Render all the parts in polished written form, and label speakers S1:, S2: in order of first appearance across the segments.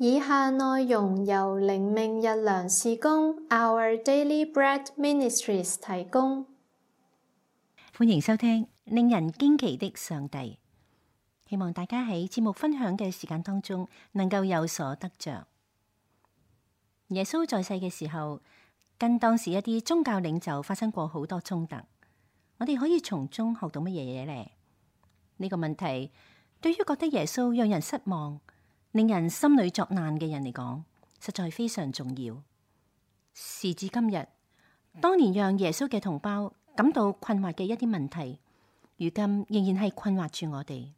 S1: 以下內容由靈命日糧事工 Our Daily Bread Ministries 提供。
S2: 歡迎收聽令人驚奇的上帝。希望大家喺節目分享嘅時間當中，能夠有所得着。耶穌在世嘅時候，跟當時一啲宗教領袖發生過好多衝突。我哋可以從中學到乜嘢嘢呢？呢個問題對於覺得耶穌讓人失望、令人心裏作難嘅人嚟講，實在非常重要。時至今日，當年讓耶穌嘅同胞感到困惑嘅一啲問題，如今仍然係困惑住我哋。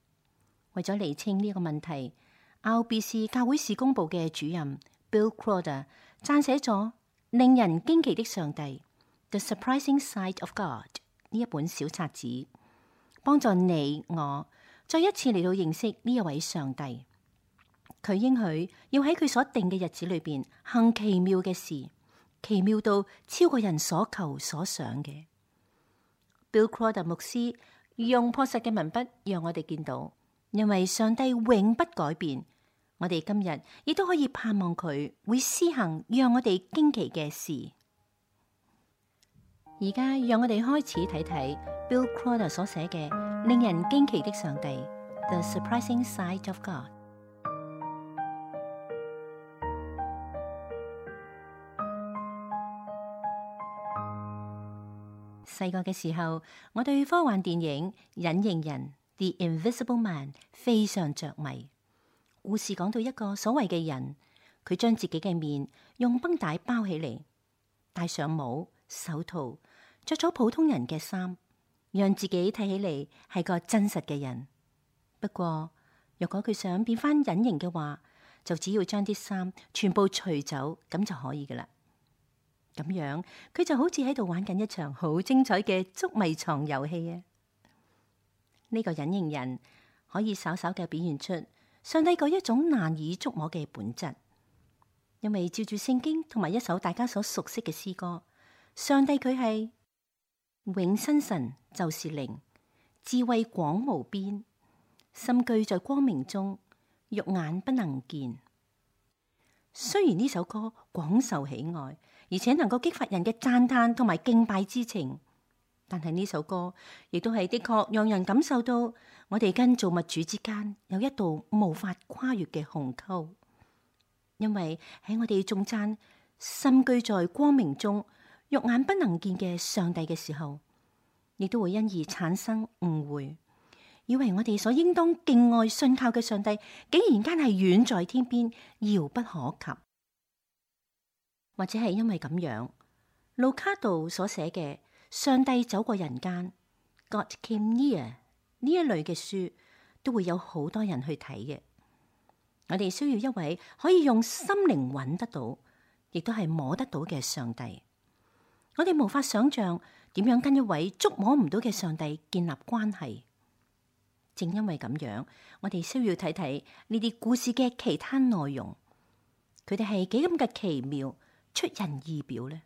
S2: 為咗釐清呢個問題，RBC 教會事工部嘅主任 Bill Crowder 撰寫咗令人驚奇的上帝 The Surprising Side of God 呢一本小冊子，幫助你我再一次嚟到認識呢一位上帝。佢應許要喺佢所定嘅日子裏邊行奇妙嘅事，奇妙到超過人所求所想嘅。Bill Crowder 牧師用樸實嘅文筆讓我哋見到，因為上帝永不改變，我哋今日亦都可以盼望佢會施行讓我哋驚奇嘅事。而家讓我哋開始睇睇 Bill Crowder 所寫嘅令人驚奇的上帝 The Surprising Side of God。細個嘅時候，我對科幻電影《隱形人》The Invisible Man 非常着迷。故事講到一個所謂嘅人，佢將自己嘅面用繃帶包起嚟，戴上帽、手套，着咗普通人嘅衫，讓自己睇起嚟係個真實嘅人。不過，若果佢想變翻隱形嘅話，就只要將啲衫全部除走，咁就可以噶啦。咁樣，佢就好似喺度玩緊一場好精彩嘅捉迷藏遊戲啊！呢個隱形人可以稍稍嘅表現出上帝嗰一種難以捉摸嘅本質，因為照住聖經同埋一首大家所熟悉嘅詩歌，上帝佢係永生神，就是靈，智慧廣無邊，深居在光明中，肉眼不能見。雖然呢首歌廣受喜愛，而且能夠激發人嘅讚嘆同埋敬拜之情，但係呢首歌亦都係的確讓人感受到我哋跟造物主之間有一道無法跨越嘅鴻溝。因為喺我哋頌讚深居在光明中，肉眼不能見嘅上帝嘅時候，亦都會因而產生誤會，以為我哋所應當敬愛信靠嘅上帝，竟然間係遠在天邊，遙不可及。或者係因為咁樣，路卡道所寫嘅《上帝走過人間》God Came Near 呢一類嘅書，都會有好多人去睇嘅。我哋需要一位可以用心靈揾得到，亦都係摸得到嘅上帝。我哋無法想象點樣跟一位捉摸唔到嘅上帝建立關係。正因為咁樣，我哋需要睇睇呢啲故事嘅其他內容，佢哋係幾咁嘅奇妙，出人意表呢？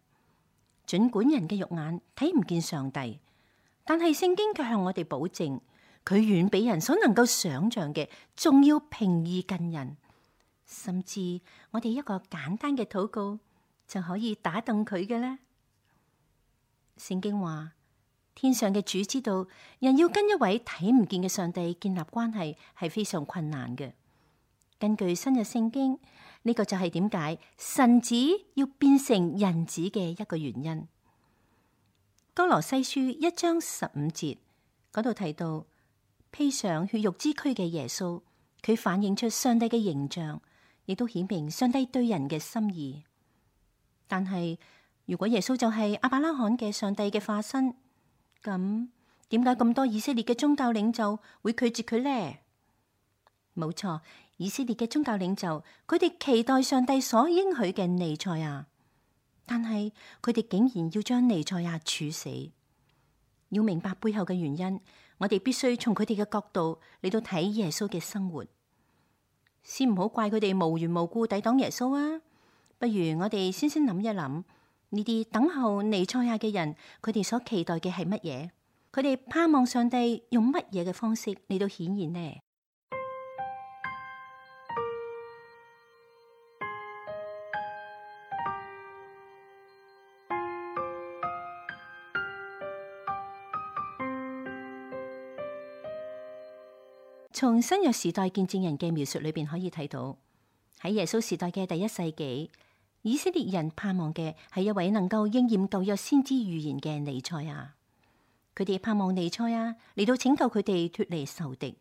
S2: 盡管人嘅肉眼睇唔見上帝，但係聖經卻向我哋保證，佢遠比人所能夠想象嘅仲要平易近人，甚至我哋一個簡單嘅禱告就可以打動佢嘅呢。聖經話，天上嘅主知道，人要跟一位睇唔見嘅上帝建立關係係非常困難嘅。根據新約聖經，呢個就係點解神子要變成人子嘅一個原因。哥羅西書1章15節嗰度提到，披上血肉之軀嘅耶穌，佢反映出上帝嘅形象，亦都顯明上帝對人嘅心意。但係如果耶穌就係亞伯拉罕嘅上帝嘅化身，咁點解咁多以色列嘅宗教領袖會拒絕佢呢？冇錯，以色列嘅宗教領袖，佢哋期待上帝所應許嘅彌賽亞，但係佢哋竟然要將彌賽亞處死。要明白背後嘅原因，我哋必須從佢哋嘅角度嚟到睇耶穌嘅生活。先唔好怪佢哋無緣無故抵擋耶穌啊！不如我哋先諗一諗，呢啲等候彌賽亞嘅人，佢哋所期待嘅係乜嘢？佢哋盼望上帝用乜嘢嘅方式嚟到顯現呢？從新約時代見證人嘅描述裏邊可以睇到，喺耶穌時代嘅第1世紀，以色列人盼望嘅係一位能夠應驗舊約先知預言嘅彌賽亞。佢哋盼望彌賽亞嚟到拯救佢哋脫離仇敵。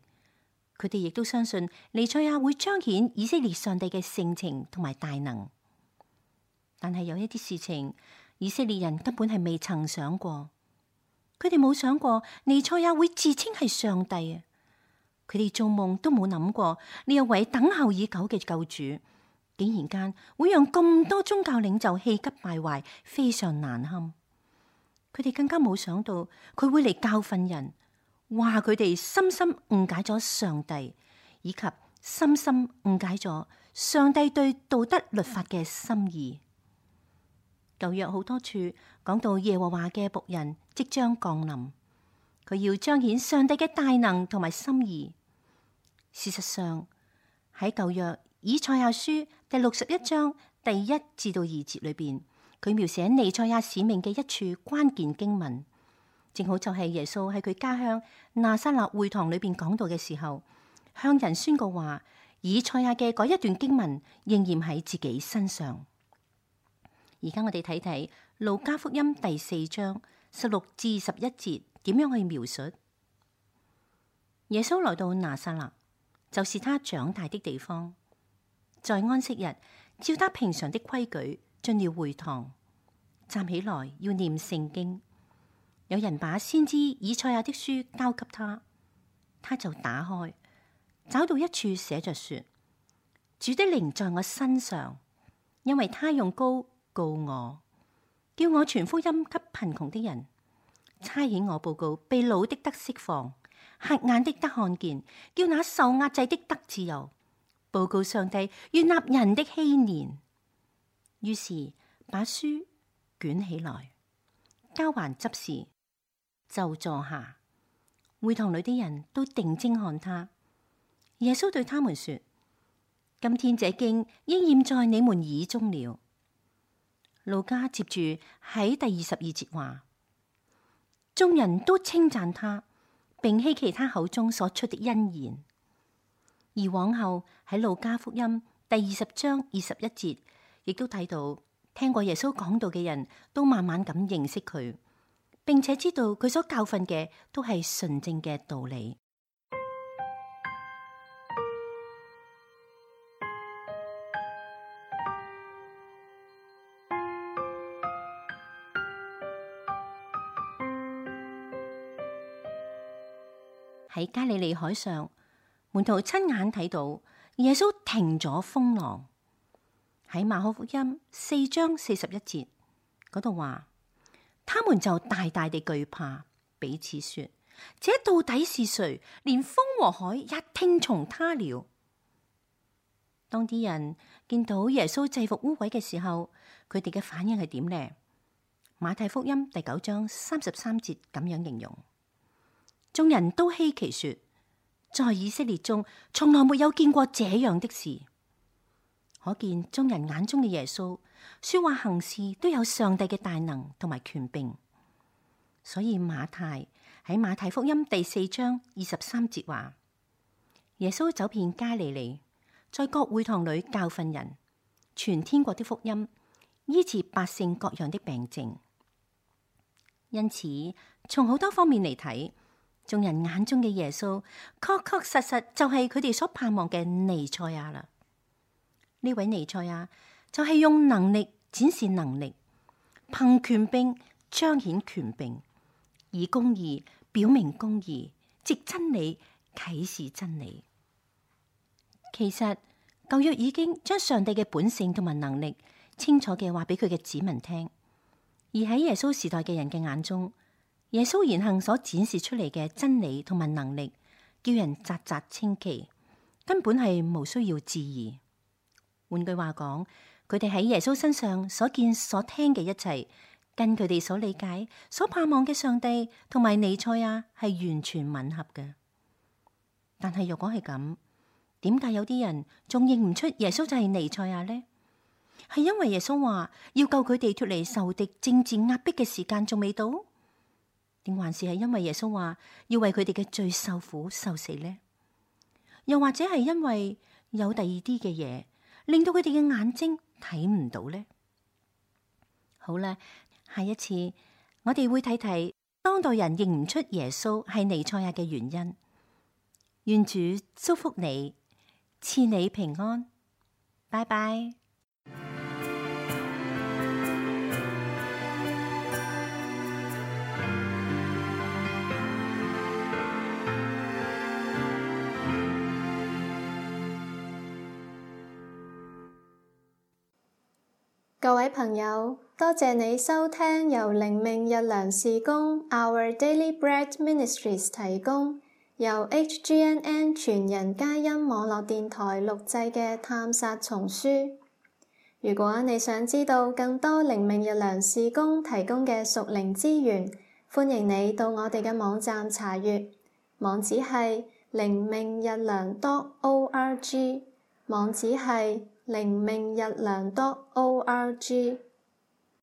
S2: 佢哋亦都相信彌賽亞會彰顯以色列上帝嘅性情同埋大能。但係有一啲事情，以色列人根本係未曾想過。佢哋冇想過彌賽亞會自稱係上帝啊！佢哋做夢都冇諗過呢一位等候已久嘅救主，竟然間會讓咁多宗教領袖氣急敗壞，非常難堪。佢哋更加冇想到佢會嚟教訓人，話佢哋深深誤解咗上帝，以及深深誤解咗上帝對道德律法嘅心意。舊約好多處講到耶和華嘅僕人即將降臨，佢要彰顯上帝嘅大能同埋心意。事實上喺舊約以賽亞書第61章第1至到2節裏邊，佢描寫彌賽亞使命嘅一處關鍵經文，正好就係耶穌喺佢家鄉拿撒勒會堂裏邊講道嘅時候，向人宣告話以賽亞嘅嗰一段經文應驗喺自己身上。而家我哋睇睇路加福音第4章16至21節點樣去描述。耶穌來到拿撒勒，就是他長大的地方，在安息日照他平常的規矩進了會堂，站起來要念聖經。有人把先知以賽亞的書交給他，他就打開，找到一處寫着說：主的靈在我身上，因為他用膏膏我，叫我傳福音給貧窮的人，差遣我報告被擄的得釋放，瞎眼的得看見，叫那受壓制的得自由，報告上帝悅納人的禧年。於是把書捲起來，交還執事，就坐下。會堂裏的人都定睛看他。耶穌對他們說：今天這經應驗在你們耳中了。路加接住喺第22節話：眾人都稱讚他，並希奇他口中所出的恩言。而往後喺路加福音第20章21節，亦都睇到聽過耶穌講道嘅人都慢慢咁認識佢，並且知道佢所教訓嘅都係純正嘅道理。喺加利利海上，門徒親眼睇到耶穌停咗風浪。喺馬可福音4章41節嗰度話，他們就大大地懼怕，彼此說：這到底是誰？連風和海也聽從他了。當啲人見到耶穌制服污鬼嘅時候，佢哋嘅反應係點呢？馬太福音第9章33節咁樣形容。眾人都希奇說，在以色列中從來沒有見過這樣的事。可見眾人眼中嘅耶穌說話行事都有上帝嘅大能同埋權柄。所以馬太喺馬太福音第4章23節話，耶穌走遍加利利，在各會堂裏教訓人，傳天國的福音，醫治百姓各樣的病症。因此從好多方面嚟睇，眾人眼中嘅耶穌確確實實就係佢哋所盼望嘅彌賽亞啦。呢位彌賽亞就係用能力展示能力，憑權柄彰顯權柄，以公義表明公義，藉真理啟示真理。其實舊約已經將上帝嘅本性同埋能力清楚嘅話俾佢嘅子民聽，而喺耶穌時代嘅人嘅眼中，耶穌言行所展示出嚟嘅真理同埋能力，叫人嘖嘖稱奇，根本係無需要置疑。換句話講，佢哋喺耶穌身上所見所聽嘅一切，跟佢哋所理解、所盼望嘅上帝同埋彌賽亞係完全吻合嘅。但係若果係咁，點解有啲人仲認唔出耶穌就係彌賽亞呢？係因為耶穌話要救佢哋脫離仇敵政治壓迫嘅時間仲未到？定還是係因為耶穌話要為佢哋嘅罪受苦受死呢？又或者係因為有第二啲嘅嘢，令到佢哋嘅眼睛睇唔到呢？好啦，下一次我哋會睇睇當代人認唔出耶穌係彌賽亞嘅原因。願主祝福你，賜你平安。拜拜。
S1: 各位朋友，多謝你收聽由靈命日糧事工 Our Daily Bread Ministries 提供，由 HGNN 全人佳音網絡電台錄製嘅探索叢書。如果你想知道更多靈命日糧事工提供嘅屬靈資源，歡迎你到我哋嘅網站查閱，網址係靈命日糧 .org， 網址係靈命日糧 .org。